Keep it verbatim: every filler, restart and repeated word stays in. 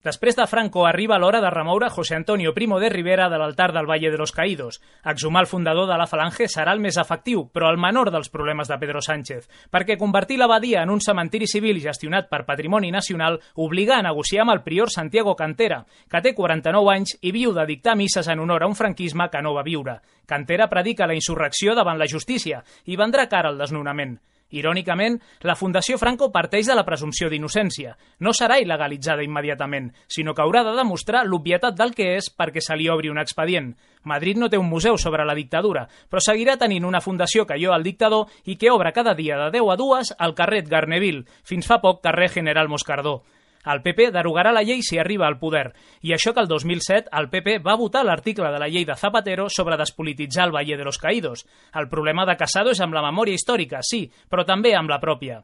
Després de Franco arriba l'hora de remoure José Antonio Primo de Rivera de l'altar del Valle de los Caídos. Exhumar el fundador de la Falange serà el més efectiu, però el menor dels problemes de Pedro Sánchez, perquè convertir l'abadia en un cementiri civil gestionat per Patrimoni Nacional obliga a negociar amb el prior Santiago Cantera, que té quaranta-nou anys i viu de dictar misses en honor a un franquisme que no va viure. Cantera predica la insurrecció davant la justícia i vendrà cara al desnonament. Irònicament, la Fundació Franco parteix de la presumpció d'innocència. No serà il·legalitzada immediatament, sinó que haurà de demostrar l'obvietat del que és perquè se li obri un expedient. Madrid no té un museu sobre la dictadura, però seguirà tenint una fundació que lloa el dictador i que obre cada dia de deu a dues al carrer Garneville, fins fa poc carrer General Moscardó. El P P derogarà la llei si arriba al poder, i això que el dos mil set el P P va votar l'article de la llei de Zapatero sobre despolititzar el Valle de los Caídos. El problema de Casado és amb la memòria històrica, sí, però també amb la pròpia.